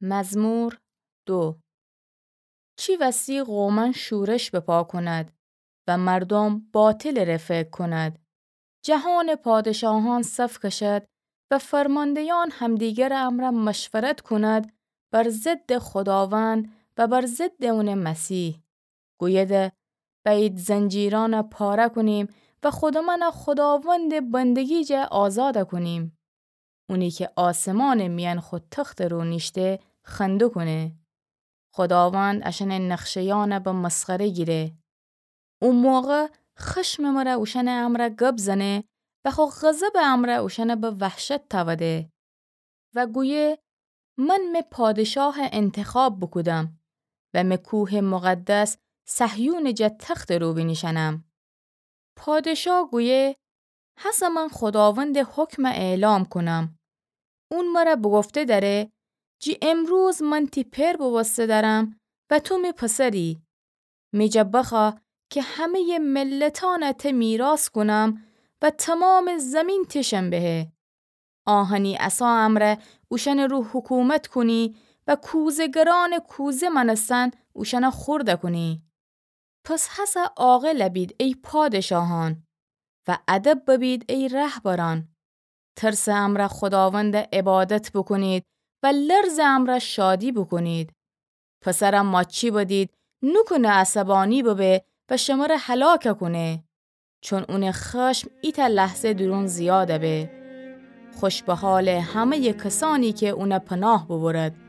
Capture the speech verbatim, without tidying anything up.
مزمور دو. چی وسی قومأن شورش بپا کند و مردوم باطلٚ ره فکر کند؟ جهانٚ پادشاهأن صف کشد و فرماندهیأن همدیگرٚ امرأ مشورت کند بر ضدٚ خوداوند و بر ضدٚ اونٚ مسیح. گویده: بأیید زنجیرأن پاره کونیم و خودمأن خوداوندٚ بندگی جا آزاد کونیم. اونی کی آسمانٚ میأن خو تختٚ رو نیشته خنده کونه. خوداوند اشأنٚ نقشهیأن به مسخره گیره. او موقع خشمٚ مره اوشأنٚ امرأ گب زنه و خو غضبٚ امرأ اوشأن به وحشت تأوده و گویه: من می پادشاه انتخاب بوکودم و می کوهٚ مقدس صهیونٚ جا تختٚ رو بینیشأنم. پادشاه گویه: هسه من خوداوندٚ حکم اعلام کونم. اون مره بوگفته دأره: جی امروز من تی پئر بوبوسته دأرم و تو می پسری. می جا بخوأ کی همه‌یٚ ملتأن ته میراث کونم و تمامٚ زیمین تیشم بهه. آهنی عصا امرأ اوشأنٚ رو حکومت کونی و کوزه‌گرأنٚ کوزه مأنستن اوشأن خورد کونی. پس هسه عاقل بید ای پادشاهأن و ادب ببید ای رهبرأن. ترسٚ امرأ خوداوند عبادت بوکونید و لرزٚ امرأ شادی بوکونید. پسر ماچی بدید، نوکونه عصبانی ببه و شمره هلاک کونه. چون اونٚ خشم ایتأ لحظه دورون زیاد به. خوش به حالٚ همه‌یٚ کسأنی کی اون پناه ببرد.